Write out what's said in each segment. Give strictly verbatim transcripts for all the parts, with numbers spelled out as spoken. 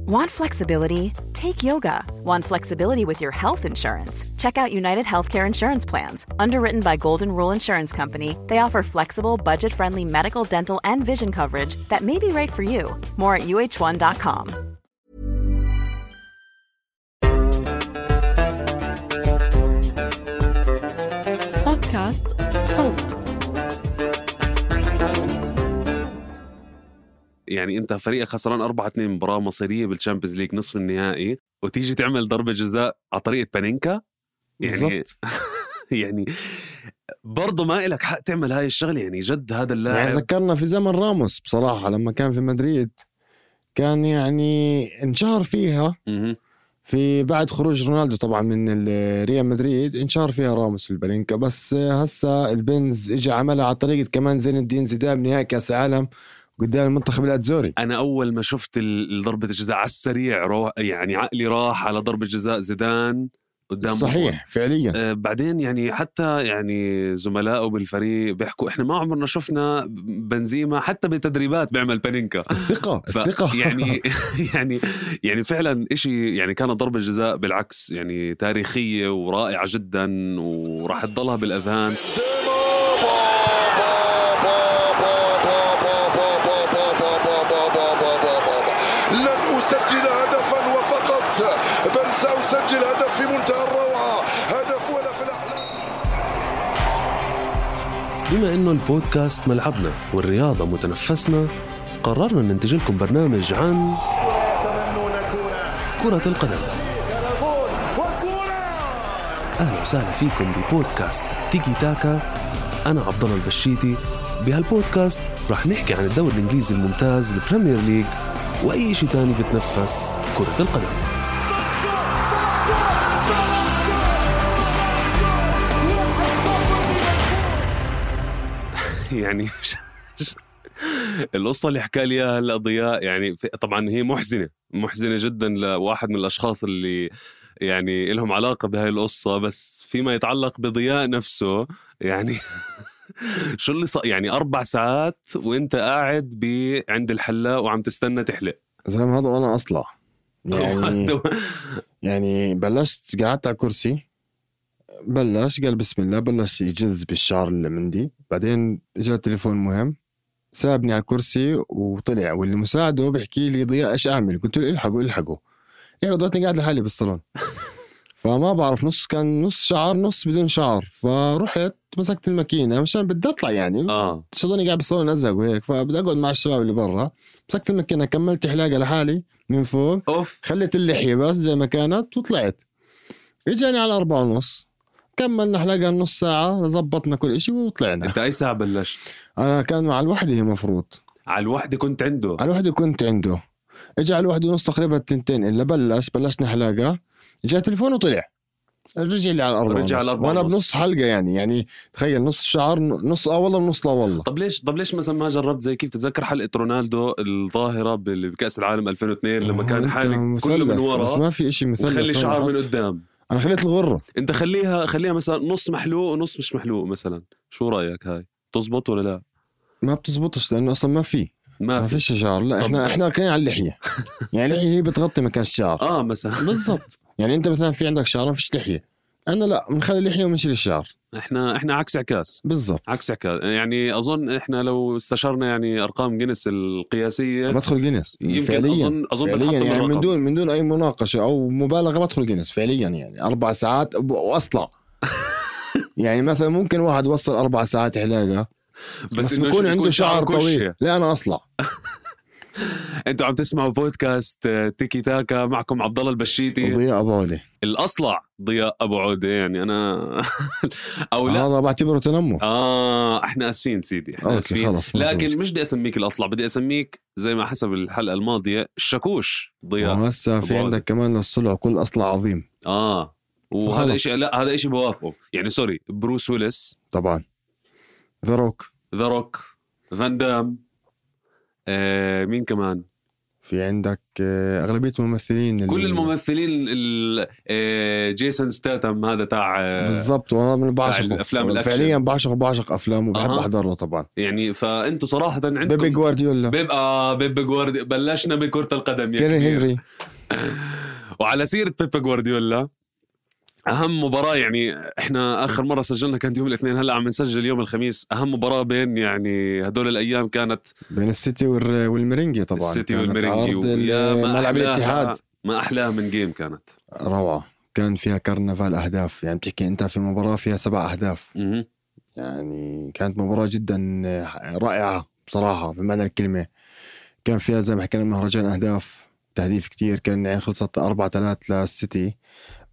Want flexibility? Take yoga. Want flexibility with your health insurance? Check out United Healthcare Insurance Plans. Underwritten by Golden Rule Insurance Company, they offer flexible, budget-friendly medical, dental, and vision coverage that may be right for you. More at U H one dot com. بودكاست صوت. يعني انت فريقك خسران أربعة اثنين مباراة مصيرية بالشامبيونز ليج نصف النهائي وتيجي تعمل ضربة جزاء على طريقة بانينكا. يعني يعني برضه ما إلك حق تعمل هاي الشغلة. يعني جد هذا اللاعب يعني ذكرنا في زمن راموس بصراحة لما كان في مدريد كان يعني انشهر فيها م- في بعد خروج رونالدو طبعا من ريال مدريد انشهر فيها راموس البالينكا. بس هسا البنز اجى عملها على طريقة كمان زين الدين زيدان بنهائي كأس العالم قدام المنتخب الأتزوري. أنا أول ما شفت ضربة الجزاء على السريع روح يعني عقلي راح على ضربة جزاء زيدان قدام صحيح بطول. فعليا آه بعدين يعني حتى يعني زملائه بالفريق بيحكوا إحنا ما عمرنا شفنا بنزيما حتى بالتدريبات بيعمل بانينكا. الثقة ف... الثقة يعني يعني يعني فعلا إشي يعني كانت ضربة جزاء بالعكس يعني تاريخية ورائعة جدا وراح تضلها بالأذهان. لن أسجل هدفا وفقط بل سأسجل هدف في منتهى الروعة. هدف ولا في الأحلام. بما إنه البودكاست ملعبنا والرياضة متنفسنا قررنا ننتج لكم برنامج عن كرة القدم. أهلا وسهلا فيكم ببودكاست تيكي تاكا. أنا عبد الله البشيتي. بهالبودكاست رح نحكي عن الدوري الإنجليزي الممتاز البريمير ليج وأي شيء تاني بتنفس كرة القدم. يعني القصة اللي حكى لي هلا ضياء يعني طبعا هي محزنة محزنة جدا لواحد من الأشخاص اللي يعني لهم علاقة بهاي القصة. بس فيما يتعلق بضياء نفسه يعني شو اللي صار يعني أربع ساعات وإنت قاعد ب عند الحلاق وعم تستنى تحلق زي ما هذا وأنا أصلع يعني يعني بلشت قعدت على كرسي بلش قال بسم الله بلش يجز بالشعر اللي عندي. بعدين جاء تليفون مهم سابني على الكرسي وطلع واللي مساعده بيحكي لي ضياء إيش أعمل؟ قلت له الحقوا الحقوا يعني ضلتني قاعد لحالي بالصالون فما بعرف نص كان نص شعر نص بدون شعر. فرحت مسكت الماكينة مشان بدي أطلع يعني آه. شغلني قاعد بالصالون أزق وهيك فبدي أقعد مع الشباب اللي برا. مسكت الماكينة كملت حلاقة لحالي من فوق أوف. خليت اللحية بس زي ما كانت وطلعت. إجاني على أربعة ونص كملنا حلاقة نص ساعة زبطنا كل إشي وطلعنا. أنت أي ساعة بلشت؟ أنا كان مع الوحدة هي مفروض على الوحدة كنت عنده على الوحدة كنت عنده. إجا على الوحدة ونص تقريبا تنتين إلا بلش بلشنا حلاقة جاء تليفون وطلع رجع لي على الأربعة رجع على الأربعة وأنا ونص. بنص حلقة يعني يعني تخيل نص شعر نص آه والله ونص لا والله. طب ليش طب ليش مثلا ما جربت زي كيف تتذكر حلقة رونالدو الظاهرة بكأس العالم ألفين واثنين لما كان حالك كله من ورا بس ما في إشي مثلث وخلي شعر من قدام. أنا خليت الغرة. أنت خليها خليها مثلا نص محلوق ونص مش محلوق مثلا. شو رأيك هاي تزبط ولا لا؟ ما بتزبطش لأنه أصلا ما في ما, ما في فيش شعر. لا طب. إحنا إحنا كنا على اللحية يعني اللحية هي بتغطي مكان الشعر آه مثلا بالضبط. يعني أنت مثلا في عندك شعر ما فيش لحية. أنا لا بنخلي اللحية ومنشيل الشعر. إحنا إحنا عكس عكاس بالضبط عكس عكاس. يعني أظن إحنا لو استشرنا يعني أرقام جينيس القياسية بدخل جينيس يمكن فعليا أظن أظن فعليا بنحط يعني من الرقم. دون من دون أي مناقشة أو مبالغة بدخل جينيس فعليا يعني أربع ساعات وأصلع يعني مثلا ممكن واحد وصل أربع ساعات علاقة بس, بس إنه بيكون يكون عنده شعر كشة. طويل. لا أنا أصلع. انتوا عم تسمعوا بودكاست تيكي تاكا معكم عبد الله البشيتي ضياء أبو عودة الأصلع ضياء أبو عودة يعني أنا أو لا هذا بعتبره تنمر. آه إحنا أسفين سيدي إحنا أوكي أسفين خلص لكن مش بدي أسميك الأصلع بدي أسميك زي ما حسب الحلقة الماضية الشكوش ضياء. وهسا في عندك كمان للصلع كل أصلع عظيم. آه وهذا وخلص. إشي لا هذا إشي بوافقه يعني سوري بروس ويلس طبعا ذا روك ذا روك فان دام آه مين كمان في عندك أغلبية الممثلين كل الممثلين جيسون ستاتم هذا تاع بالضبط، وانا من بعشقه فعليا بعشق بعشق افلامه وبحب أه. احضر له طبعا. يعني فانتوا صراحه عندكم بيبي جوارديولا بيب اه بيبي جوارديولا بلشنا بكرة القدم يا تيري هنري. وعلى سيرة بيبي جوارديولا أهم مباراة، يعني إحنا آخر مرة سجلنا كانت يوم الاثنين، هلأ عم نسجل يوم الخميس. أهم مباراة بين يعني هدول الأيام كانت بين السيتي والميرينجي طبعا. السيتي والميرينجي ملعب الاتحاد، ما أحلاها من جيم، كانت روعة، كان فيها كرنفال أهداف. يعني بتحكي أنت في مباراة فيها سبع أهداف م- يعني كانت مباراة جدا رائعة بصراحة بمعنى الكلمة. كان فيها زي ما حكينا مهرجان أهداف، تهديف كتير، كان يعني خلصت أربعة ثلاث للسيتي،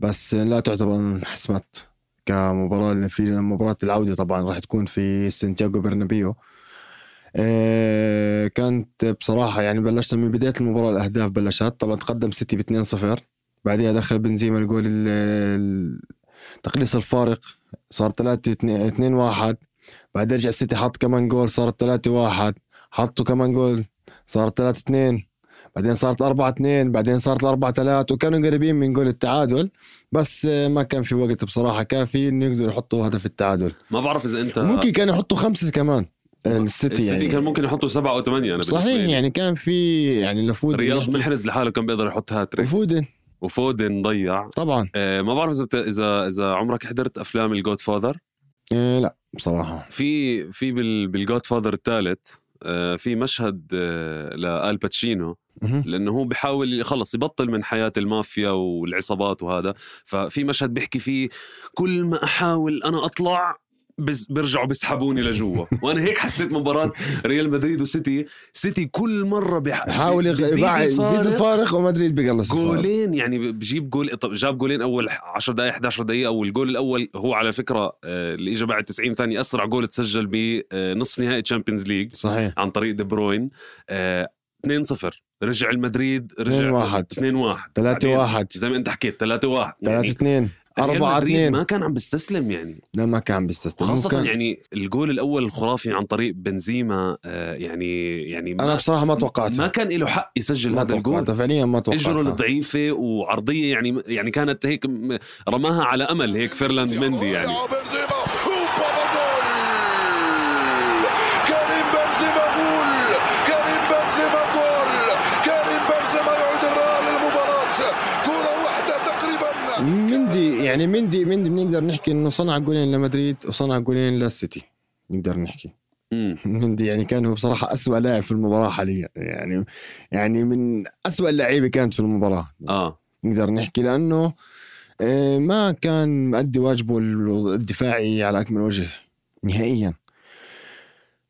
بس لا تعتبر انحسمت كمباراة. في مباراة العودة طبعا راح تكون في سانتياغو برنابيو. إيه كانت بصراحة يعني بلشنا من بداية المباراة الأهداف بلشت طبعا، تقدم سيتي باثنين صفر، بعدها دخل بنزيما الجول تقليص الفارق صار ثلاثة اثنين واحد، بعد رجع السيتي حط كمان جول صار ثلاثة واحد، حطوا كمان جول صار ثلاثة اثنين، بعدين صارت أربعة اثنين، بعدين صارت أربعة ثلاثة، وكانوا قريبين من جول التعادل بس ما كان في وقت بصراحة كافي إنه يقدروا يحطوا هدف التعادل. ما بعرف إذا أنت ممكن كانوا يحطوا خمسة كمان السيتي, السيتي يعني كان ممكن يحطوا سبعة أو ثمانية. أنا صحيح يعني كان في يعني لفود رياض محرز لحاله كان بيقدر يحط هاتريك، وفودن وفودن ضيع طبعا. آه ما بعرف إذا بت... إذا إذا عمرك حضرت أفلام الجود فاذر؟ آه لا بصراحة. في في بال بالجود فاذر الثالث آه في مشهد آه لآل باتشينو، لأنه هو بيحاول يخلص يبطل من حياة المافيا والعصابات وهذا، ففي مشهد بيحكي فيه كل ما أحاول أنا أطلع بس بيرجعوا بيسحبوني لجوا. وانا هيك حسيت مباراة ريال مدريد وسيتي. سيتي كل مرة بيحاول يزيد الفارق ومدريد بيقلص جولين، يعني بجيب جول. طب جاب جولين اول عشر دقائق إحدى عشرة دقيقة، او الجول الاول هو على فكرة اللي اجى بعد تسعين ثانية اسرع جول تسجل بنصف نهائي تشامبيونز ليج صحيح عن طريق دي بروين. اثنين صفر رجع المدريد، رجع اثنين واحد ثلاثة واحد زي ما انت حكيت ثلاثة واحد ثلاثة اثنين أربعة اثنين. ما كان عم بيستسلم يعني، لا ما كان بيستسلم خاصة كان... يعني الجول الأول الخرافي عن طريق بنزيما. آه يعني يعني أنا بصراحة ما توقعت، ما كان له حق يسجل هذا الجول فعليا، ما توقعت. اجره الضعيفة وعرضية يعني يعني كانت هيك رماها على أمل هيك فيرلاند مندي يعني. مندي يعني مندي مندي بنقدر نحكي انه صنع جولين لمدريد وصنع جولين للسيتي، نقدر نحكي. مندي يعني كان هو بصراحة أسوأ لاعب في المباراة حاليا، يعني يعني من أسوأ اللعيبة كانت في المباراة اه نقدر نحكي، لأنه ما كان مؤدي واجبه الدفاعي على أكمل وجه نهائيا.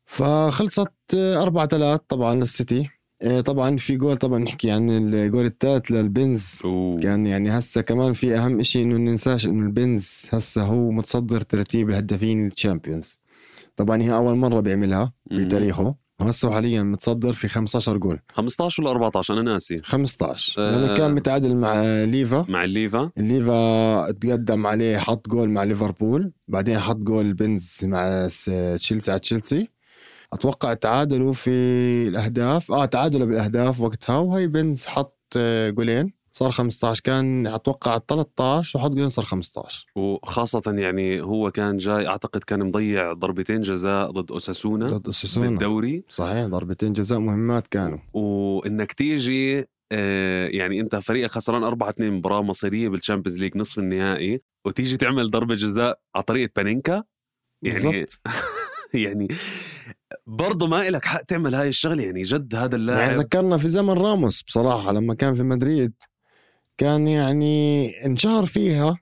فخلصت أربعة ثلاث طبعا للسيتي. طبعا في جول طبعا نحكي عن الجول الثالث للبنز. أوه. كان يعني هسه كمان في أهم إشي إنه ننساش إنه البنز هسه هو متصدر ترتيب الهدافين الشامبيونز. طبعا هي أول مرة بيعملها بتاريخه، وهسه حاليا متصدر في خمسة عشر جول. خمسة عشر ولا أربعة عشر أنا ناسي. خمسة عشر أه لأنه كان متعادل مع ليفا مع الليفا الليفا تقدم عليه، حط جول مع ليفربول، بعدين حط جول بنز مع تشيلسي على تشيلسي. أتوقع تعادلوا في الأهداف آه تعادلوا بالأهداف وقتها، وهي بنز حط جولين صار خمسة عشر. كان أتوقع ثلاثة عشر وحط جولين صار خمسة عشر. وخاصة يعني هو كان جاي أعتقد كان مضيع ضربتين جزاء ضد أوساسونا ضد أوساسونا بالدوري. صحيح ضربتين جزاء مهمات كانوا. وإنك تيجي آه يعني أنت فريقك خسران أربعة اثنين مباراة مصيرية بالشامبيونز ليج نصف النهائي، وتيجي تعمل ضربة جزاء على طريقة بانينكا يعني يعني برضو ما إلك حق تعمل هاي الشغلة يعني. جد هذا اللاعب يعني ذكرنا في زمن راموس بصراحة لما كان في مدريد، كان يعني انشهر فيها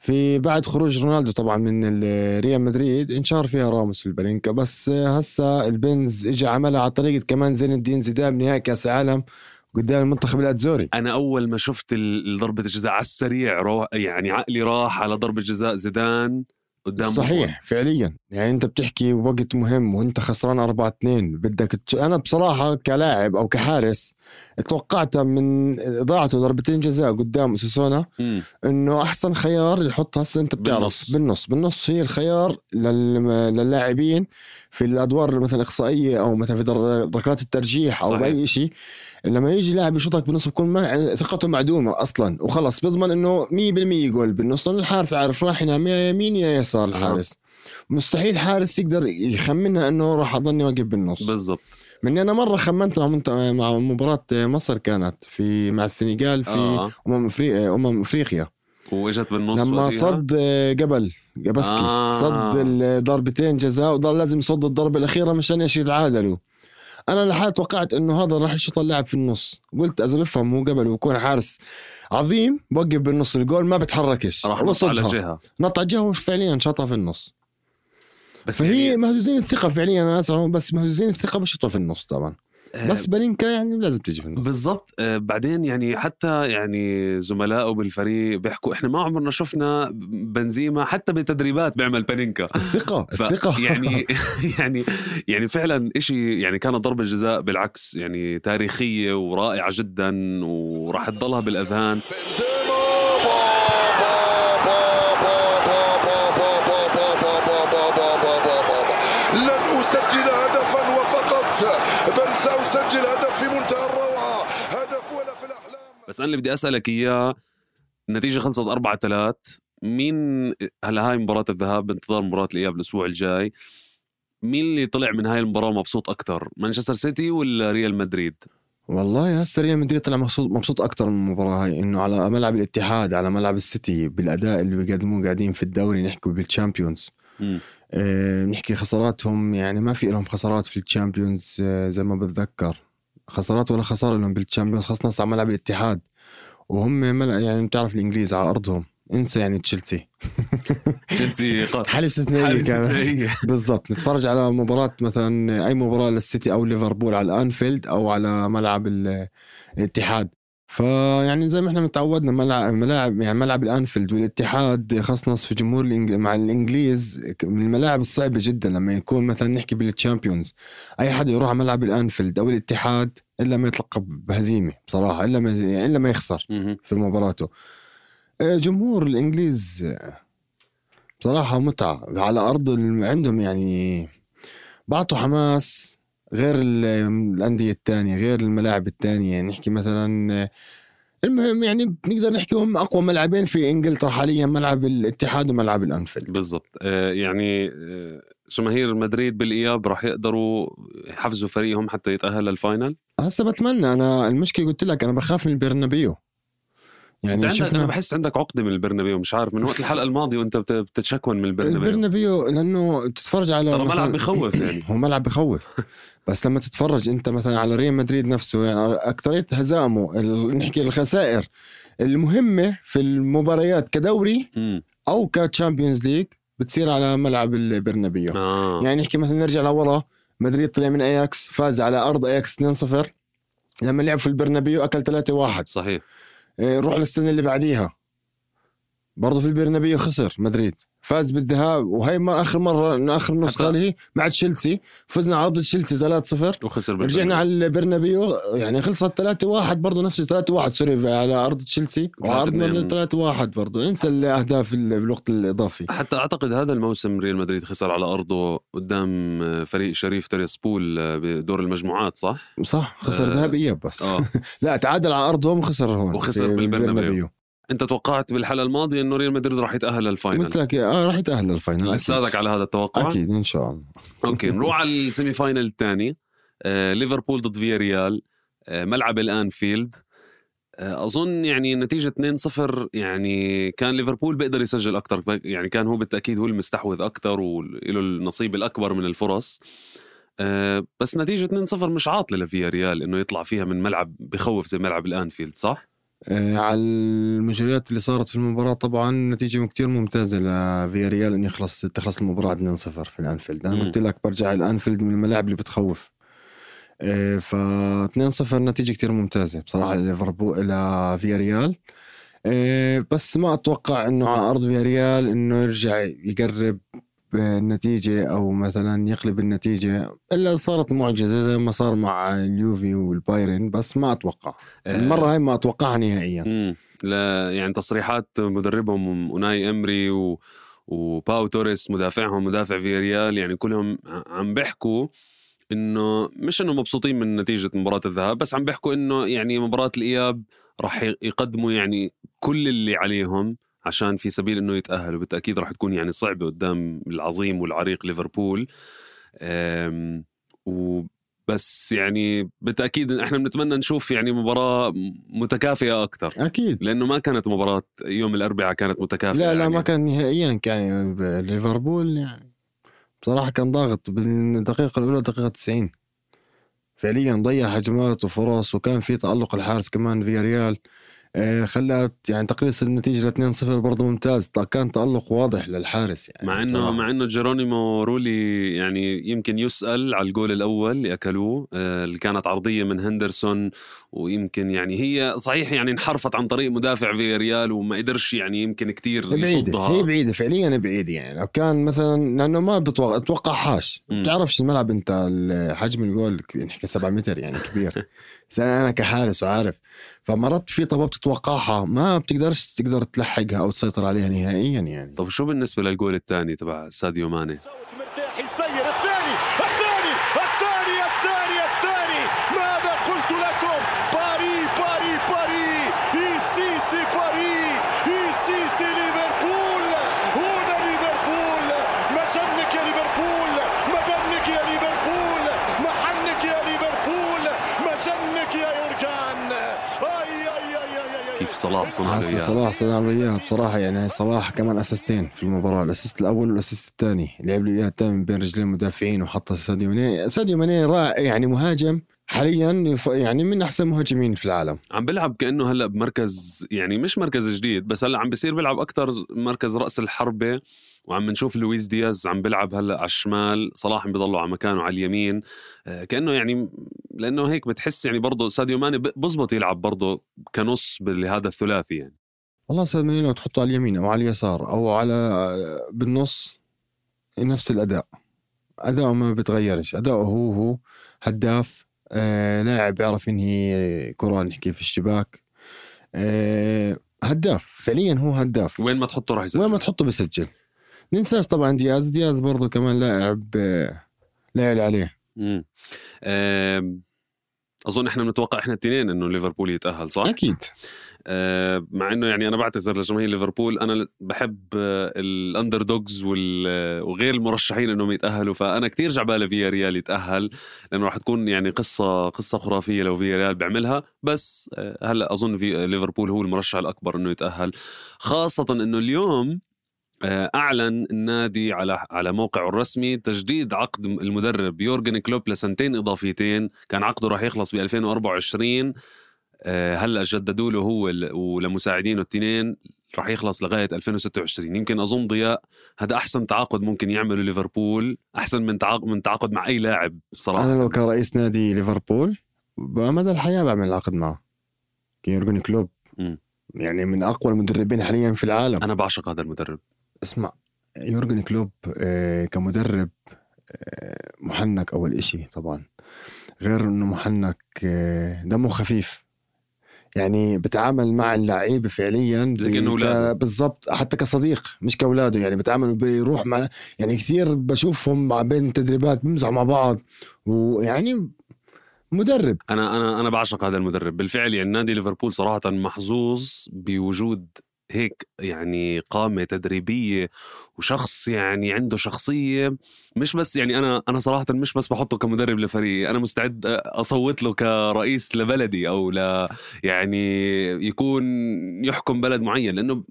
في بعد خروج رونالدو طبعا من ريال مدريد، انشهر فيها راموس البلينكا. بس هسا البنز اجى عملها على طريقة كمان زين الدين زيدان بنهائي كأس العالم قدام المنتخب الأتزوري. أنا أول ما شفت ضربة الجزاء على السريع يعني عقلي راح على ضربة جزاء زيدان قدام صحيح بفون. فعليا يعني انت بتحكي وقت مهم وانت خسران أربعة اثنين بدك ت... انا بصراحة كلاعب او كحارس توقعت من ضاعته ضربتين جزاء قدام سوسونا انه احسن خيار يحط. هسه انت بتعرف بالنص بالنص, بالنص هي الخيار لل... للاعبين في الادوار مثلا اقصائية او مثلا في ركلات الترجيح او باي شيء. لما يجي لاعب يشوطك بالنص بكون ما ثقته معدومة اصلا وخلص بيضمن انه مية بالمية يقول بالنص لأن الحارس عارف راح ينام يا يمين يا يسار. الحارس مستحيل حارس يقدر يخمنها انه راح اضلني واقف بالنص بالضبط. مني انا مره خمنت مع مع مباراه مصر كانت في مع السنغال في آه. امم افريقيا امم افريقيا واجت بالنص لما صد قبل قبسكي آه. صد الضربتين جزاء وضل لازم يصد الضربه الاخيره مشان ايش يتعادلوا. انا لحد توقعت انه هذا راح يشوط اللاعب في النص. قلت اذا بفهم هو قبل ويكون حارس عظيم بوقف بالنص الجول ما بتحركش راح نط على جهه نط على جهه فعليا شاطها في النص. بس فهي يعني مهزوزين الثقة فعليا أنا أسأل بس مهزوزين الثقة بشطوا في النص طبعا آه بس بلينكا يعني لازم تيجي في النص بالضبط. آه بعدين يعني حتى يعني زملائه بالفريق بيحكوا إحنا ما عمرنا شفنا بنزيما حتى بتدريبات بيعمل بلينكا الثقة الثقة يعني يعني يعني فعلا إشي يعني كانت ضربة جزاء بالعكس يعني تاريخية ورائعة جدا وراح تضلها بالأذهان. سجل هدف في منتهى الروعة هدف ولا في الأحلام. بس أنا اللي بدي أسألك إياه النتيجة خلصت أربعة ثلاث مين هلا هاي مباراة الذهاب بانتظار مباراة الإياب الأسبوع الجاي مين اللي طلع من هاي المباراة مبسوط أكتر مانشستر سيتي ولا ريال مدريد؟ والله هسه ريال مدريد طلع مبسوط مبسوط أكتر من المباراة هاي إنه على ملعب الاتحاد على ملعب السيتي بالأداء اللي بيقدموه قاعدين في الدوري نحكي بالتشامبيونز اه نحكي خساراتهم يعني ما في لهم خسارات في الشامبيونز اه زي ما بتذكر خسارات ولا خسارة لهم بالتشامبيونز خاصة على ملعب الاتحاد وهم يعني بتعرف الإنجليز على أرضهم انسى يعني تشيلسي تشيلسي حالة استثنائية كانت بالضبط. نتفرج على مباراة مثلا أي مباراة للسيتي أو ليفربول على الأنفيلد أو على ملعب الاتحاد فيعني زي ما احنا متعودنا ملعب ملاعب يعني ملعب الأنفيلد والاتحاد خاصة في جمهور الإنج... مع الإنجليز من الملاعب الصعبة جدا لما يكون مثلا نحكي بالتشامبيونز أي حد يروح على ملعب الأنفيلد أو الاتحاد إلا ما يتلقى بهزيمة بصراحة إلا ما يعني إلا ما يخسر في مباراته. جمهور الإنجليز بصراحة متعة على أرض عندهم يعني بعطوا حماس غير الأندية التانية غير الملاعب التانية يعني نحكي مثلا المهم يعني بنقدر نحكي هم أقوى ملعبين في إنجلترا حاليا ملعب الاتحاد وملعب الأنفيلد بالضبط. آه يعني جماهير مدريد بالإياب راح يقدروا يحفزوا فريقهم حتى يتأهل للفاينل. هسه بتمنى أنا المشكلة قلت لك أنا بخاف من البرنابيو يعني شفنا أنا بحس عندك عقدة من البرنابيو مش عارف من وقت الحلقة الماضية وانت بتتشكون من البرنابيو. البرنابيو لأنه تتفرج على ترى ملعب بخوف يعني هو ملعب بخوف بس لما تتفرج انت مثلا على ريال مدريد نفسه يعني أكترية هزامه نحكي الخسائر المهمة في المباريات كدوري أو كتشامبيونز ليج بتصير على ملعب البرنابيو آه. يعني نحكي مثلا نرجع لورا مدريد طلع من أياكس فاز على أرض أياكس اثنين صفر لما لعب في البرنابيو أكل ثلاثة واحد صحيح. روح للسنة اللي بعديها برضو في البرنابيو خسر مدريد فاز بالذهاب وهي ما آخر مرة آخر نسخة له مع تشيلسي فزنا على تشيلسي ثلاثة صفر وخسر رجعنا على البرنابيو يعني خلصت ثلاثة واحد برضو نفس ثلاثة واحد سوري على أرض تشيلسي وعرضنا ثلاثة واحد برضو انسى الأهداف بالوقت الإضافي. حتى أعتقد هذا الموسم ريال مدريد خسر على أرضه قدام فريق شريف تيريسبول بدور المجموعات صح؟ صح خسر ذهاب آه إياب بس آه. لا تعادل على أرضهم وخسر هون وخسر بالبرنابيو. انت توقعت بالحلقه الماضيه انه ريال مدريد راح يتاهل للفاينل؟ قلت لك اه راح يتاهل للفاينل لساتك على هذا التوقع؟ اكيد ان شاء الله. اوكي نروح على السيمي فاينل الثاني آه، ليفربول ضد فياريال آه، ملعب الانفيلد آه، اظن يعني نتيجه اثنين صفر يعني كان ليفربول بيقدر يسجل اكثر يعني كان هو بالتاكيد هو المستحوذ اكثر وله النصيب الاكبر من الفرص آه، بس نتيجه اثنين صفر مش عاطله لفياريال انه يطلع فيها من ملعب بخوف زي ملعب الانفيلد صح؟ على المجريات اللي صارت في المباراة طبعا نتيجة كتير ممتازة لفياريال إن يخلص تخلص المباراة اثنين صفر في الأنفيلد. أنا قلت لك برجع الأنفيلد من الملاعب اللي بتخوف ف اثنين صفر نتيجة كتير ممتازة بصراحة لليفربول إلى فياريال بس ما أتوقع إنه على أرض فياريال إنه يرجع يقرب النتيجة أو مثلا يقلب النتيجة، إلا صارت معجزة زي ما صار مع اليوفي والبايرن. بس ما أتوقع المرة هاي، ما أتوقعها نهائيا. مم. لا يعني تصريحات مدربهم أوناي إمري و... وباو توريس مدافعهم مدافع فياريال، يعني كلهم عم بيحكوا إنه مش إنه مبسوطين من نتيجة مباراة الذهاب، بس عم بيحكوا إنه يعني مباراة الإياب راح يقدموا يعني كل اللي عليهم عشان في سبيل إنه يتأهلوا. بالتأكيد راح تكون يعني صعبة قدام العظيم والعريق ليفربول. وبس يعني بالتأكيد إحنا بنتمنى نشوف يعني مباراة متكافئة أكتر، أكيد، لأنه ما كانت مباراة يوم الأربعاء كانت متكافئة. لا لا يعني. ما كان نهائيا. كان ليفربول يعني بصراحة كان ضاغط بالدقيقة الأولى دقيقة تسعين، فعليا ضيع هجمات وفرص، وكان في تألق الحارس كمان في ريال خلت يعني تقليص النتيجة اثنين صفر برضو ممتاز. كان تألق واضح للحارس يعني، مع انه مع انه جيرونيمو رولي يعني يمكن يسأل على الجول الاول اللي اكلوه اللي كانت عرضية من هندرسون، ويمكن يعني هي صحيح يعني انحرفت عن طريق مدافع في ريال وما قدرش يعني يمكن كتير يصدها. هي بعيدة فعليا بعيدة يعني. لو كان مثلا لانه ما بتوقع اتوقع حاش، بتعرفش الملعب انت حجم الجول نحكي سبعة متر يعني كبير. انا كحارس وعارف، فمرات في طبعا بتتوقعها ما بتقدرش تقدر تلحقها او تسيطر عليها نهائيا يعني. طب شو بالنسبه للجول الثاني تبع ساديو ماني؟ مرتاح يسير الثاني الثاني الثاني الثاني الثاني ماذا قلت لكم؟ باري باري باري يسيسي باري يسيسي ليفربول. هنا ليفربول، ما شنك يا ليفربول، ما بنك يا ليفربول، ما حنك يا ليفربول، ما شنك يا يورغان. اي اي اي اي كيف صلاح صنع له صلاح صنع له اياها بصراحه يعني. صلاح كمان اسيستين في المباراه، الاسيست الاول والاسيست الثاني لعب له اياها تام بين رجلين المدافعين وحط ساديو ماني. ساديو ماني رائع يعني، مهاجم حاليا يعني من احسن مهاجمين في العالم. عم بلعب كانه هلا بمركز يعني مش مركز جديد، بس هلا عم بيصير بيلعب اكتر مركز راس الحربه. وعم نشوف لويس دياز عم بيلعب هلا على الشمال، صلاح عم بيضلوا على مكانه على اليمين كانه يعني، لانه هيك بتحس يعني برضه ساديو ماني بزبط يلعب برضه كنص بهذا الثلاثي يعني. والله ساديو ماني لو تحطه على اليمين او على اليسار او على بالنص نفس الاداء، اداؤه ما بيتغيرش. اداؤه هو هو هداف، آه لاعب يعرف ينهي كرة نحكي في الشباك، آه هداف فعليا، هو هداف. وين ما تحطه راح يسجل، وين ما تحطه بيسجل. ننساش طبعا دياز دياز برضو كمان لاعب آه لاعب عليه. امم آه اظن احنا بنتوقع احنا الاثنين انه ليفربول يتاهل، صح؟ اكيد. آه مع انه يعني انا بعتذر لجماهير ليفربول، انا بحب آه الاندر دوجز وغير المرشحين انهم يتاهلوا، فانا كتير جعبالي فيا ريال يتاهل، لانه راح تكون يعني قصه قصه خرافيه لو فيا ريال بيعملها. بس آه هلا اظن في ليفربول هو المرشح الاكبر انه يتاهل، خاصه انه اليوم أعلن النادي على على موقعه الرسمي تجديد عقد المدرب يورغن كلوب لسنتين إضافيتين. كان عقده راح يخلص ب ألفين وأربعة وعشرين، هلأ جددوا له هو ولمساعدينه التنين راح يخلص لغاية ألفين وستة وعشرين. يمكن أظن ضياء هذا أحسن تعاقد ممكن يعمله ليفربول، أحسن من تعاقد من تعاقد مع أي لاعب صراحة. أنا لو كان رئيس نادي ليفربول بمدى الحياة بعمل عقد معه يورغن كلوب. م. يعني من أقوى المدربين حاليا في العالم. أنا بعشق هذا المدرب. اسمع، يورغن كلوب آه كمدرب آه محنك أول إشي طبعا، غير إنه محنك آه دمه خفيف يعني، بتعامل مع اللعيبة فعليا بالضبط حتى كصديق مش كأولاده يعني. بتعامل بيروح مع يعني كثير بشوفهم مع بين التدريبات بيمزحوا مع بعض، ويعني مدرب. أنا أنا أنا بعشق هذا المدرب بالفعل يعني. نادي ليفربول صراحة محظوظ بوجود هيك يعني قامة تدريبية وشخص يعني عنده شخصية. مش بس يعني أنا أنا صراحة مش بس بحطه كمدرب لفريقي، أنا مستعد أصوت له كرئيس لبلدي أو لا يعني يكون يحكم بلد معين، لأنه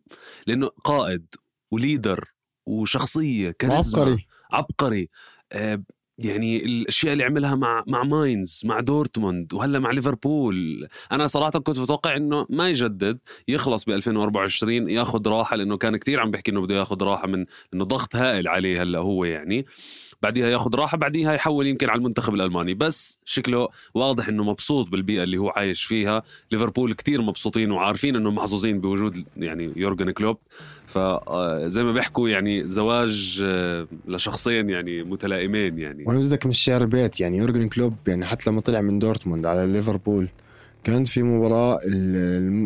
لأنه قائد وليدر وشخصية كاريزما، عبقري عبقري. آه يعني الاشياء اللي عملها مع مع ماينز، مع دورتموند، وهلا مع ليفربول. انا صراحه كنت متوقع انه ما يجدد، يخلص ب ألفين وأربعة وعشرين، ياخذ راحه، لانه كان كتير عم بيحكي انه بده ياخذ راحه من انه ضغط هائل عليه هلا هو، يعني بعديها ياخذ راحه، بعديها يحول يمكن على المنتخب الألماني. بس شكله واضح انه مبسوط بالبيئه اللي هو عايش فيها. ليفربول كتير مبسوطين وعارفين انه محظوظين بوجود يعني يورجن كلوب. فزي ما بيحكوا يعني زواج لشخصين يعني متلائمين. يعني وانا بدك من الشعر بيت، يعني يورجن كلوب يعني حتى لما طلع من دورتموند على ليفربول كانت في مباراة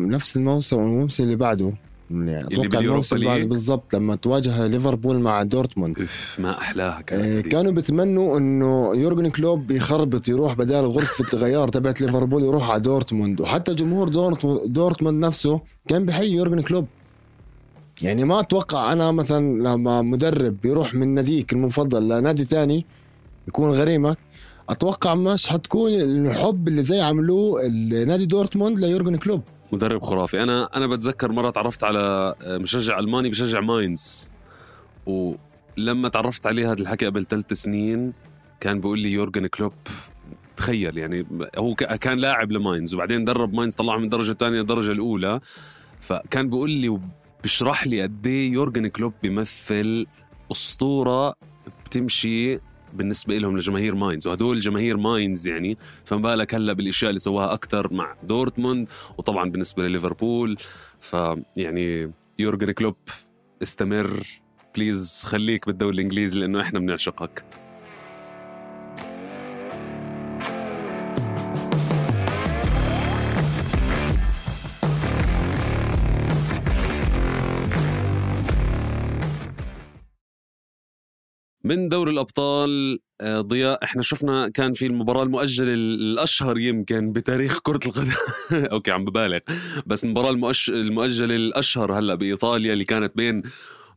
نفس الموسم والموسم اللي بعده، يعني اتوقع الموسم اللي بعده بالضبط، لما تواجه ليفربول مع دورتموند ما احلاها كانت. كانوا بتمنوا انه يورجن كلوب يخربط، يروح بدال غرفة الغيار تبعت ليفربول يروح على دورتموند. وحتى جمهور دورتموند نفسه كان بحي يورجن كلوب. يعني ما اتوقع انا مثلا لما مدرب يروح من ناديك المفضل لنادي تاني يكون غريمك، اتوقع مش حتكون الحب اللي زي عملوه النادي دورتموند ليورجن كلوب. مدرب خرافي. انا انا بتذكر مره تعرفت على مشجع الماني بشجع ماينز، ولما تعرفت عليه هذا الحكي قبل ثلاث سنين كان بيقول لي يورجن كلوب، تخيل يعني هو كان لاعب لماينز وبعدين درب ماينز، طلعه من الدرجه الثانيه الدرجه الاولى. فكان بيقول لي بشرح لي قد ايه يورجن كلوب بيمثل اسطوره بتمشي بالنسبه لهم لجماهير ماينز، وهدول جماهير ماينز يعني. فما بالك هلا بالاشياء اللي سواها اكثر مع دورتموند، وطبعا بالنسبه لليفربول. فيعني يورجن كلوب استمر بليز، خليك بالدوري الانجليزي لانه احنا بنعشقك. من دوري الأبطال ضياء، احنا شفنا كان في المباراة المؤجلة الأشهر يمكن بتاريخ كرة القدم أوكي عم ببالغ، بس المباراة المؤش... المؤجلة الأشهر هلأ بإيطاليا اللي كانت بين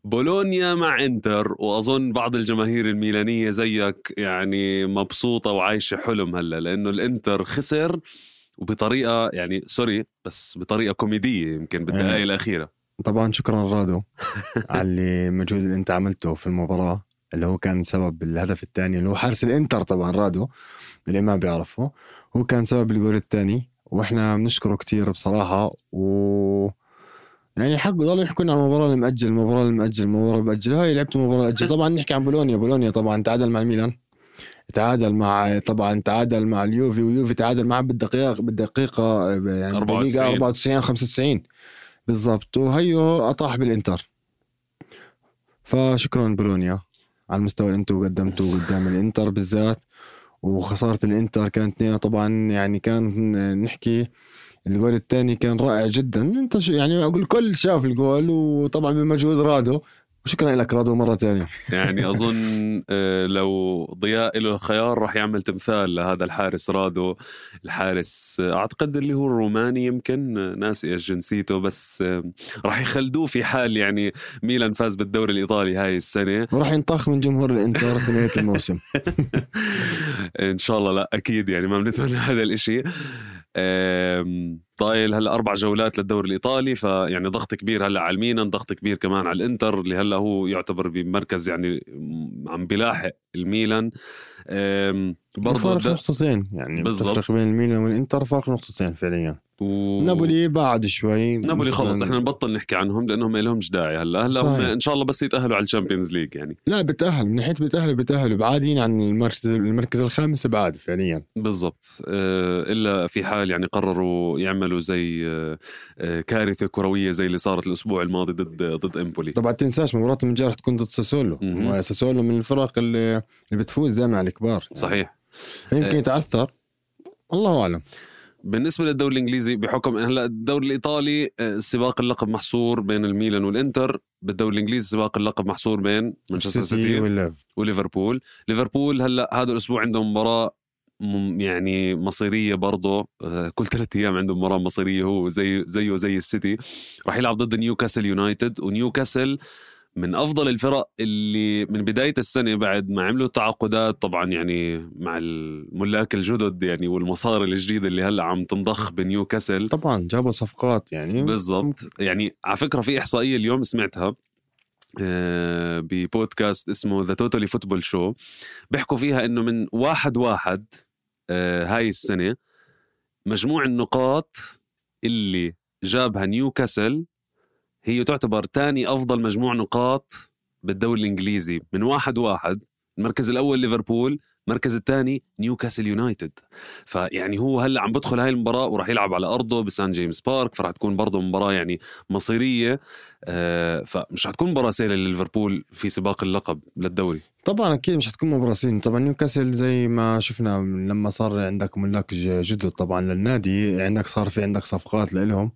بولونيا مع إنتر. وأظن بعض الجماهير الميلانية زيك يعني مبسوطة وعايشة حلم هلأ، لأنه الإنتر خسر وبطريقة يعني سوري بس بطريقة كوميدية يمكن بالدقائق الأخيرة. طبعا شكرا رادو على المجهود اللي أنت عملته في المباراة، اللي هو كان سبب الهدف الثاني اللي هو حارس الانتر. طبعا رادو اللي ما بيعرفه هو كان سبب الجول الثاني، واحنا بنشكره كتير بصراحة. و يعني حق ضل يحكون عن المباراة المؤجل المباراة المؤجل المباراة المؤجل هاي لعبت مباراة أجل. طبعا نحكي عن بولونيا. بولونيا طبعا تعادل مع الميلان، تعادل مع طبعا تعادل مع اليوفي، ويوفي تعادل معه بالدقيقة بالدقيقة يعني بالدقيقة أربعة وتسعين خمسة وتسعين بالضبط، وهيو أطاح بالإنتر. فشكرا بولونيا على المستوى اللي انتوا قدمتوه قدام الانتر بالذات. وخسارة الانتر كانت طبعا يعني كان نحكي الجول الثاني كان رائع جدا. انت يعني اقول الكل شاف الجول، وطبعا بمجهود رادو. وشكرا لك رادو مرة تانية. يعني أظن لو ضياء له خيار راح يعمل تمثال لهذا الحارس رادو. الحارس أعتقد اللي هو الروماني يمكن، ناسي جنسيته، بس راح يخلدوه في حال يعني ميلان فاز بالدوري الإيطالي هاي السنة، وراح ينطخ من جمهور الإنتر في نهاية الموسم. إن شاء الله لا أكيد يعني ما بنتمنى هذا الإشي. طايل هلا أربع جولات للدوري الإيطالي، فيعني ضغط كبير هلا على الميلان، ضغط كبير كمان على الإنتر اللي هلا هو يعتبر بمركز يعني عم بلاحق الميلان. برضه فرق نقطتين يعني بالضبط بين الميلان والإنتر، فرق نقطتين فعليا. و... نابولي بعد شوي، نابولي خلص احنا نبطل نحكي عنهم لانهم ما لهمش داعي هلا. هلا هم ان شاء الله بس يتاهلوا على الشامبيونز ليج يعني. لا بتاهل من ناحيه بتاهل بتاهل بعادين عن المركز المركز الخامس بعاد فعليا بالضبط. اه الا في حال يعني قرروا يعملوا زي اه كارثه كرويه زي اللي صارت الاسبوع الماضي ضد ضد امبولي. طبعا تنساش مباراه من جارح تكون ضد ساسولو، وساسولو من الفرق اللي, اللي بتفوز دائما على الكبار صحيح. يمكن اه يتعثر الله اعلم. بالنسبة للدوري الإنجليزي بحكم هلا الدوري الإيطالي سباق اللقب محصور بين الميلان والإنتر، بالدوري الإنجليزي سباق اللقب محصور بين مانشستر سيتي وليفربول. ليفربول هلا هذا الأسبوع عندهم مباراة يعني مصيرية برضه، كل ثلاثة أيام عندهم مباراة مصيرية، هو زي زيه زي السيتي. راح يلعب ضد نيوكاسل يونايتد، ونيوكاسل من أفضل الفرق اللي من بداية السنة بعد ما عملوا تعاقدات طبعا يعني مع الملاك الجدد يعني والمصاري الجديدة اللي هلأ عم تنضخ بنيوكاسل. طبعا جابوا صفقات يعني بالضبط. يعني على فكرة في إحصائية اليوم سمعتها ببودكاست اسمه The Totally Football Show، بيحكوا فيها إنه من واحد واحد هاي السنة مجموع النقاط اللي جابها نيوكاسل هي تعتبر تاني أفضل مجموع نقاط بالدوري الإنجليزي. من واحد واحد المركز الأول ليفربول، المركز الثاني نيوكاسل يونايتد. فيعني هو هلأ عم بدخل هاي المباراة وراح يلعب على أرضه بسان جيمس بارك، فرح تكون برضه مباراة يعني مصيرية. آه فمش هتكون مباراة سهلة لليفربول في سباق اللقب للدوري. طبعا أكيد مش هتكون مباراة سهلة. طبعا نيوكاسل زي ما شفنا لما صار عندك ملاك جدد طبعا للنادي، عندك صار في عندك صفقات لإلهم،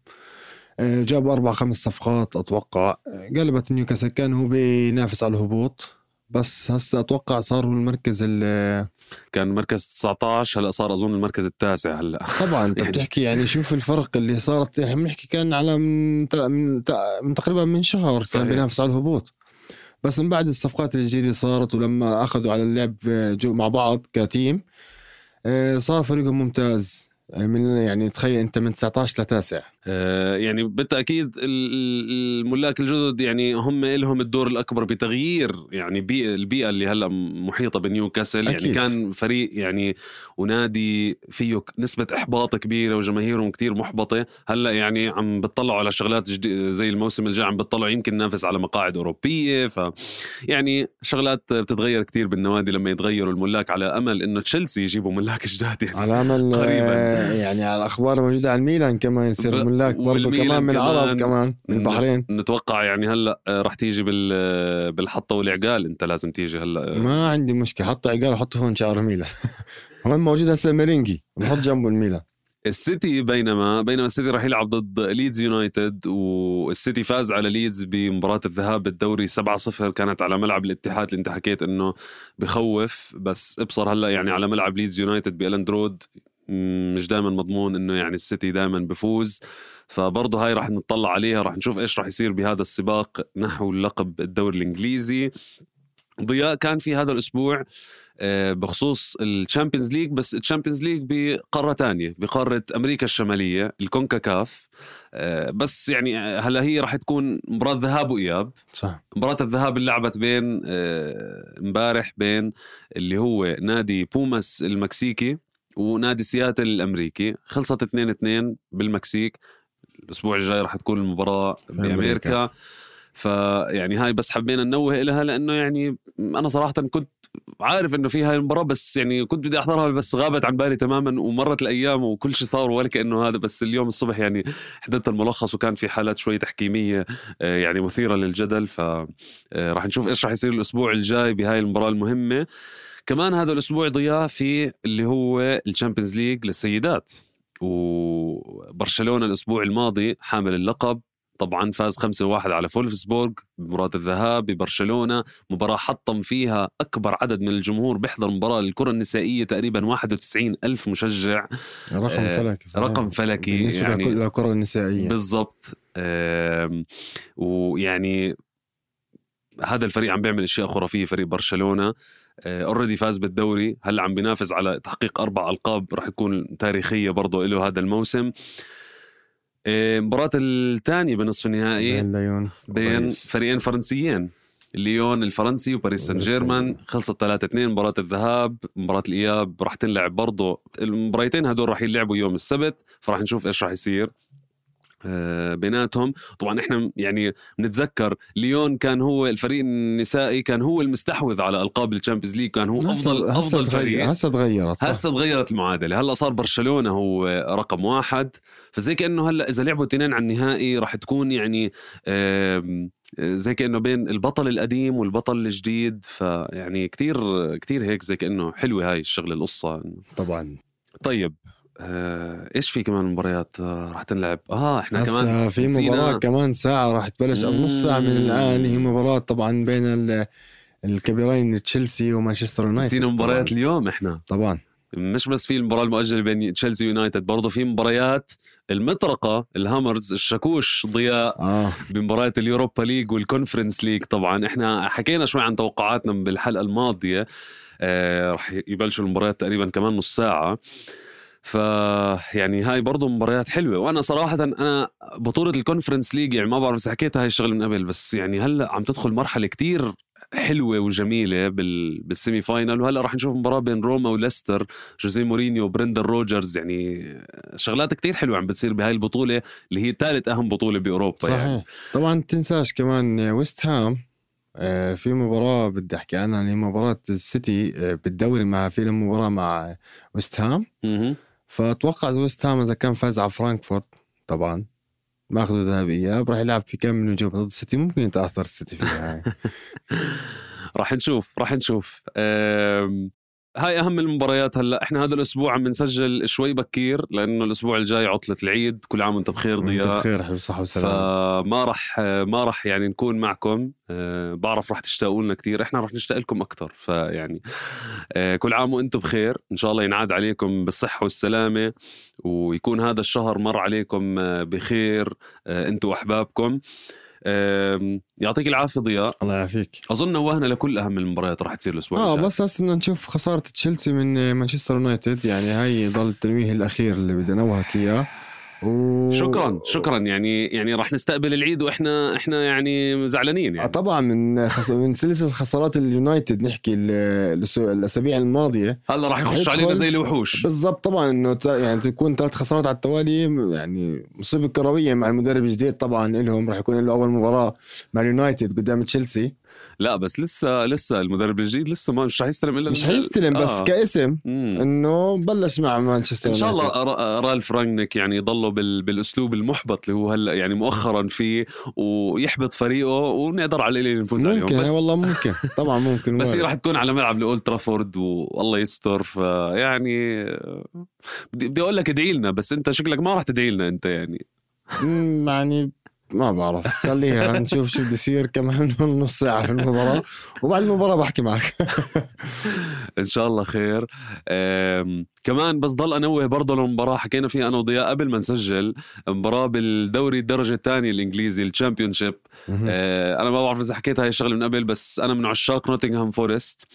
جابوا أربع خمس صفقات أتوقع، قلبت نيوكاسل كان هو بينافس على الهبوط، بس هسه أتوقع صار هو المركز اللي كان مركز تسعة عشر هلأ صار أظن المركز التاسع هلأ. طبعا أنت بتحكي يعني شوف الفرق اللي صارت. احنا بنحكي كان على من, من, من تقريبا من شهر صحيح. كان بينافس على الهبوط، بس من بعد الصفقات الجديدة صارت ولما أخذوا على اللعب مع بعض كتيم صار فريقهم ممتاز. من يعني تخيل انت من تسعة عشر لتاسع. آه يعني بالتأكيد الملاك الجدد يعني هم لهم الدور الأكبر بتغيير يعني بيئة البيئة اللي هلأ محيطة بنيوكاسل. يعني كان فريق يعني ونادي فيه نسبة إحباط كبيرة وجماهيرهم كتير محبطة. هلأ يعني عم بتطلعوا على شغلات زي الموسم الجاي، عم بتطلعوا يمكن نافس على مقاعد أوروبية. ف يعني شغلات بتتغير كتير بالنوادي لما يتغيروا الملاك، على أمل إنه تشيلسي يجيبوا ملاك جداد يعني على أمل قريبا. يعني على الأخبار موجودة عن ميلان كمان يصير ب... ملاك برضو كمان من العرب كمان من البحرين. نتوقع يعني هلأ رح تيجي بال... بالحطة والعقال. انت لازم تيجي هلأ. ما عندي مشكلة، حط عقال وحطه هون شعر ميلان. هون موجود هسه ميرينجي نحط جنبه الميلان. السيتي بينما بينما السيتي راح يلعب ضد ليدز يونايتد، والسيتي فاز على ليدز بمباراة الذهاب بالدوري سبعة صفر، كانت على ملعب الاتحاد اللي انت حكيت انه بخوف، بس ابصر هلأ يعني على ملعب ليدز يونايتد بإلند رود مش دائما مضمون انه يعني السيتي دائما بفوز. فبرضه هاي راح نطلع عليها، راح نشوف ايش راح يصير بهذا السباق نحو اللقب الدوري الانجليزي. ضياء كان في هذا الاسبوع بخصوص الشامبيونز ليج، بس الشامبيونز ليج بقارة تانية بقارة امريكا الشمالية الكونكاكاف. بس يعني هلا هي راح تكون مباراة ذهاب وإياب. صح. مباراة الذهاب اللي لعبت بين امبارح بين اللي هو نادي بوماس المكسيكي ونادي سياتل الأمريكي، خلصت اثنين اثنين بالمكسيك. الأسبوع الجاي راح تكون المباراة بأمريكا. فيعني هاي بس حبينا ننوه إلها لأنه يعني أنا صراحة كنت عارف إنه في هاي المباراة، بس يعني كنت بدي أحضرها بس غابت عن بالي تماما ومرت الأيام وكل شيء صار ولا كأنه هذا. بس اليوم الصبح يعني حضرت الملخص وكان في حالات شوي تحكيمية يعني مثيرة للجدل. فراح نشوف إيش راح يصير الأسبوع الجاي بهاي المباراة المهمة. كمان هذا الأسبوع ضياء في اللي هو الشامبيونز ليج للسيدات، وبرشلونة الأسبوع الماضي حامل اللقب طبعا فاز خمسة واحد على فولفسبورغ بمباراة الذهاب ببرشلونة. مباراة حطم فيها أكبر عدد من الجمهور بيحضر مباراة للكرة النسائية، تقريبا واحد وتسعين ألف مشجع. رقم آه فلكي صحيح. رقم فلكي بالنسبة يعني للكرة النسائية بالضبط. آه ويعني هذا الفريق عم بيعمل اشياء خرافيه. فريق برشلونه اوريدي uh, فاز بالدوري، هلا عم بينافس على تحقيق اربع القاب راح تكون تاريخيه برضه له هذا الموسم. مباراة الثانية بنصف النهائي بين ليون بين فريقين فرنسيين، ليون الفرنسي وباريس سان جيرمان، خلصت ثلاثة اثنين مباراة الذهاب. مباراة الإياب راح تنلعب برضه، المباراتين هدول راح يلعبوا يوم السبت، فراح نشوف إيش راح يصير بيناتهم. طبعا احنا يعني بنتذكر ليون كان هو الفريق النسائي، كان هو المستحوذ على ألقاب الشامبيونز ليج، كان هو افضل افضل فريق. هسه تغيرت هسه تغيرت المعادله، هلا صار برشلونه هو رقم واحد. فزي كانه هلا اذا لعبوا اثنين على النهائي راح تكون يعني زي كانه بين البطل القديم والبطل الجديد. فيعني كتير كتير هيك زي كانه حلوه هاي الشغله القصه طبعا. طيب آه، ايش في كمان مباريات آه، راح تنلعب؟ اه احنا كمان في مباراة كمان ساعة راح تبلش او نص ساعة من الان. هي مباراة طبعا بين الكبيرين تشيلسي ومانشستر يونايتد. نسينا مباريات اليوم احنا طبعا. مش بس في المباراة المؤجلة بين تشيلسي ويونايتد، برضو في مباريات المطرقة الهامرز الشكوش ضياء آه. بمباريات اليوروبا ليج والكونفرنس ليج. طبعا احنا حكينا شوي عن توقعاتنا بالحلقة الماضية. آه راح يبلشوا المباريات تقريبا كمان نص ساعة. ف يعني هاي برضو مباريات حلوة. وأنا صراحة أنا بطولة الكونفرنس ليج يعني ما بعرف إذا حكيتها هاي الشغل من قبل، بس يعني هلأ عم تدخل مرحلة كتير حلوة وجميلة بال... بالسيمي فاينل. وهلأ راح نشوف مباراة بين روما وليستر، جوزيه مورينيو وبرندن روجرز. يعني شغلات كتير حلوة عم بتصير بهاي البطولة اللي هي ثالث أهم بطولة بأوروبا. صحيح. يعني طبعا تنساش كمان ويست هام في مباراة بدي أحكي عنها اللي هي مباراة السيتي بالدوري مع في مباراة مع ويست هام. فأتوقع ويست هام إذا كان فاز على فرانكفورت طبعا ما أخذوا ذهبية راح يلعب في كم من نجوم ضد السيتي، ممكن يتأثر السيتي فيها. راح نشوف راح نشوف أم... هاي أهم المباريات. هلأ إحنا هذا الأسبوع عم بنسجل شوي بكير لأنه الأسبوع الجاي عطلة العيد. كل عام وأنت بخير ضياء. وأنت بخير حبيب صحة وسلامة. فما رح ما رح يعني نكون معكم. أه بعرف رح تشتاقوا لنا كتير، إحنا رح نشتاق لكم أكتر. فيعني أه كل عام وأنتم بخير، إن شاء الله ينعاد عليكم بالصحة والسلامة، ويكون هذا الشهر مر عليكم بخير أه أنتم وأحبابكم. يعطيك العافية ضياء. الله يعافيك. أظن وهنا لكل أهم المباريات راح تصير الأسبوع آه الجاي. بس هسه بدنا نشوف خسارة تشيلسي من مانشستر يونايتد، يعني هاي ضل التنويه الأخير اللي بدنا نوهك إياه. و... شكرا شكرا يعني يعني راح نستقبل العيد واحنا احنا يعني زعلانين يعني. آه طبعا من خس... من سلسله خسارات اليونايتد نحكي الاسابيع الماضيه هلا راح يخش علينا زي الوحوش بالضبط. طبعا انه ت... يعني تكون ثلاث خسارات على التوالي يعني مصيبه كرويه مع المدرب الجديد. طبعا لهم راح يكون له اول مباراه مع اليونايتد قدام تشيلسي. لا بس لسه لسه المدرب الجديد لسه ما مش حيستلم الا مش حيستلم بس آه. كاسم مم. انه بلش مع مانشستر ان شاء الله. رالف رانجنيك يعني يضلوا بال... بالاسلوب المحبط اللي هو هلا يعني مؤخرا فيه، ويحبط فريقه ونقدر على اللي نفوز عليهم. ممكن بس والله ممكن طبعا ممكن بس هي راح تكون على ملعب لأولد ترافورد والله يستر. فيعني بدي بدي اقول لك ادعي لنا، بس انت شكلك ما راح تدعي لنا انت يعني. يعني ما بعرف، خليها نشوف شو بده يصير كمان نص ساعة في المباراة وبعد المباراة بحكي معك. إن شاء الله خير. كمان بس ضل أنوه برضه المباراة حكينا فيها أنا وضياء قبل ما نسجل، مباراة بالدوري الدرجة الثانية الإنجليزي الشامبيونشيب. أه أنا ما بعرف إذا حكيت هاي الشغلة من قبل، بس أنا من عشاق نوتنغهام فورست.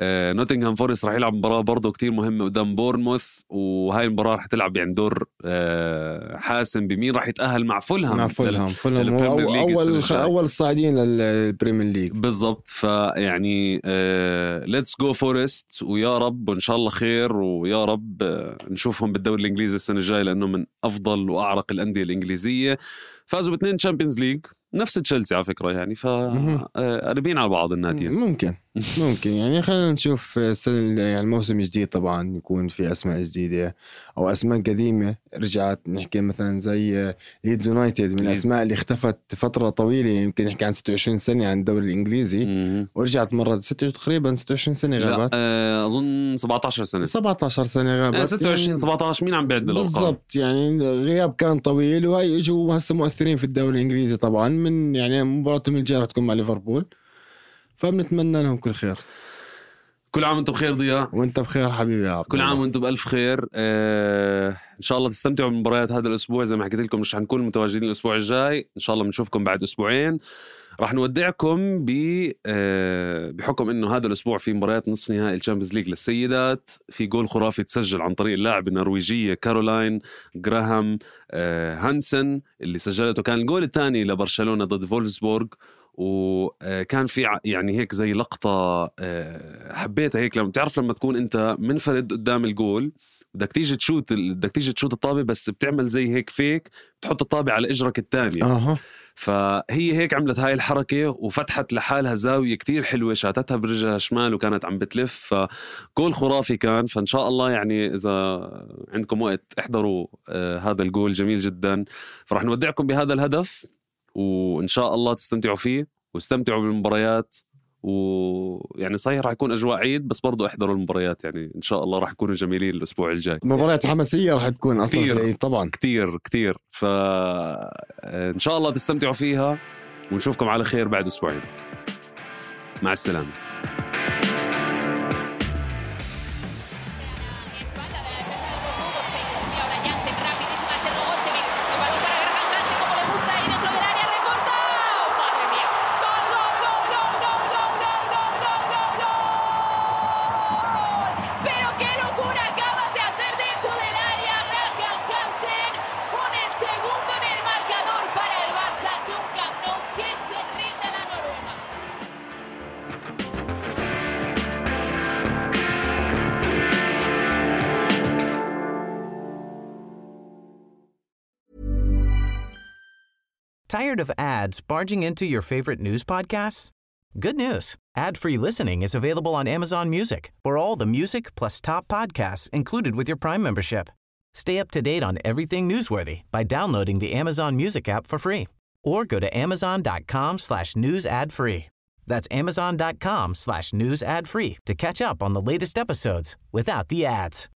أه نوتنغهام فورست راح يلعب مباراة برضه كتير مهمة قدام بورنموث، وهاي المباراة راح تلعب يعني دور أه حاسم بمين راح يتأهل مع فولهام. مع فولهام فولهام هو أول أول الصاعدين للبريمير ليج بالضبط. فيعني ليتس جو فورست، ويا رب وإن شاء الله خير، ويا رب نشوفهم بالدوري الإنجليزي السنة الجاية لأنه من أفضل وأعرق الأندية الإنجليزية. فازوا باثنين تشامبيونز ليج نفس تشيلسي على فكرة يعني، فقريبين على بعض الناديين. ممكن ممكن يعني خلينا نشوف السنة يعني الموسم الجديد طبعا يكون في أسماء جديدة أو أسماء قديمة رجعت. نحكي مثلا زي ليدز يونايتد من الأسماء اللي اختفت فترة طويلة، يمكن نحكي عن ستة وعشرين سنة عن الدوري الإنجليزي مم. ورجعت مرة ستة تقريبا ستة وعشرين سنة غابت. لا أظن سبعة عشر سنة سبعة عشر سنة غابت. ستة وعشرين يعني سبعة عشر مين عم بيعد الأرقام بالضبط، يعني غياب كان طويل، وهي اجوا هسه مؤثرين في الدوري الإنجليزي طبعا من يعني مباراتهم الجاية تكون مع ليفربول، فبنتمنى لهم كل خير. كل عام وانتم بخير ضياء. وانت بخير حبيبي يا عبد. كل عام وانتم بألف خير. آه ان شاء الله تستمتعوا بمباريات هذا الاسبوع. زي ما حكيت لكم مش حنكون متواجدين الاسبوع الجاي، ان شاء الله بنشوفكم بعد اسبوعين. راح نودعكم ب آه بحكم انه هذا الاسبوع في مباريات نصف نهائي الشامبيونز ليج للسيدات. في جول خرافي تسجل عن طريق اللاعب النرويجيه كارولاين جراهام آه هانسن اللي سجلته، كان الجول الثاني لبرشلونه ضد فولفسبورغ. وكان في يعني هيك زي لقطة حبيتها هيك، لما تعرف لما تكون انت منفرد قدام الجول بدك تيجي تشوت بدك تيجي تشوت الطابة، بس بتعمل زي هيك فيك بتحط الطابة على اجرك الثاني. أه. فهي هيك عملت هاي الحركة وفتحت لحالها زاوية كتير حلوة، شاتتها برجلها شمال وكانت عم بتلف. فجول خرافي كان. فإن شاء الله يعني إذا عندكم وقت احضروا آه هذا الجول جميل جدا. فرح نودعكم بهذا الهدف، وإن شاء الله تستمتعوا فيه واستمتعوا بالمباريات. ويعني صحيح راح يكون أجواء عيد، بس برضو احضروا المباريات يعني إن شاء الله راح يكونوا جميلين الأسبوع الجاي. مباريات حماسية راح تكون أصلا في العيد طبعا كتير كتير. فإن شاء الله تستمتعوا فيها، ونشوفكم على خير بعد أسبوعين. مع السلامة. Pero qué locura acabas de hacer dentro del área. Tired of ads barging into your favorite news podcasts? Good news. Ad-free listening is available on Amazon Music for all the music plus top podcasts included with your Prime membership. Stay up to date on everything newsworthy by downloading the Amazon Music app for free or go to amazon.com slash news ad free. That's amazon.com slash news ad free to catch up on the latest episodes without the ads.